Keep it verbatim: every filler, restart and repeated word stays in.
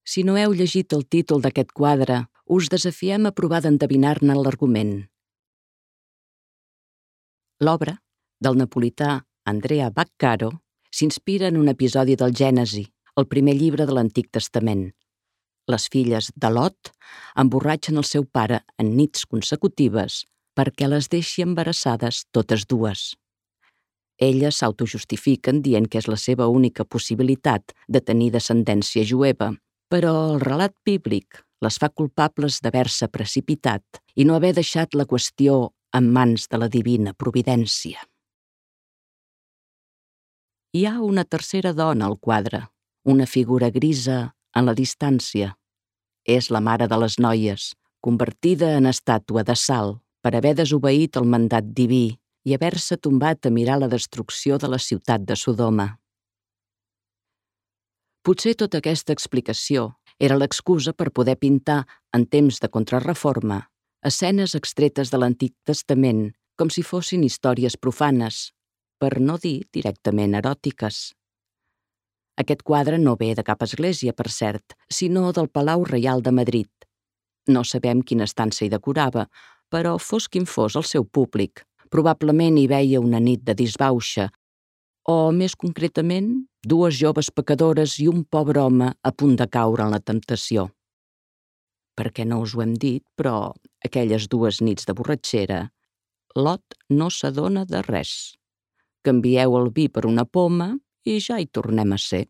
Si no heu llegit el títol d'aquest quadre, us desafiem a provar d'endevinar-ne l'argument. L'obra, del napolità Andrea Vaccaro, s'inspira en un episodi del Gènesi, el primer llibre de l'Antic Testament. Les filles de Lot emborratxen el seu pare en nits consecutives perquè les deixi embarassades totes dues. Elles s'autojustifiquen dient que és la seva única possibilitat de tenir descendència jueva, però el relat bíblic les fa culpables d'haver-se precipitat i no haver deixat la qüestió en mans de la divina providència. Hi ha una tercera dona al quadre, una figura grisa en la distància. És la mare de les noies, convertida en estàtua de sal per haver desobeït el mandat diví i haver-se tombat a mirar la destrucció de la ciutat de Sodoma. Potser tota aquesta explicació era l'excusa per poder pintar, en temps de contrarreforma, escenes extretes de l'Antic Testament com si fossin històries profanes, per no dir directament eròtiques. Aquest quadre no ve de cap església, per cert, sinó del Palau Reial de Madrid. No sabem quina estança hi decorava, però fos quin fos el seu públic, probablement hi veia una nit de disbauxa, o, més concretament, dues joves pecadores i un pobre home a punt de caure en la temptació. Perquè no us ho hem dit, però aquelles dues nits de borratxera, Lot no s'adona de res. Canvieu el vi per una poma i ja hi tornem a ser.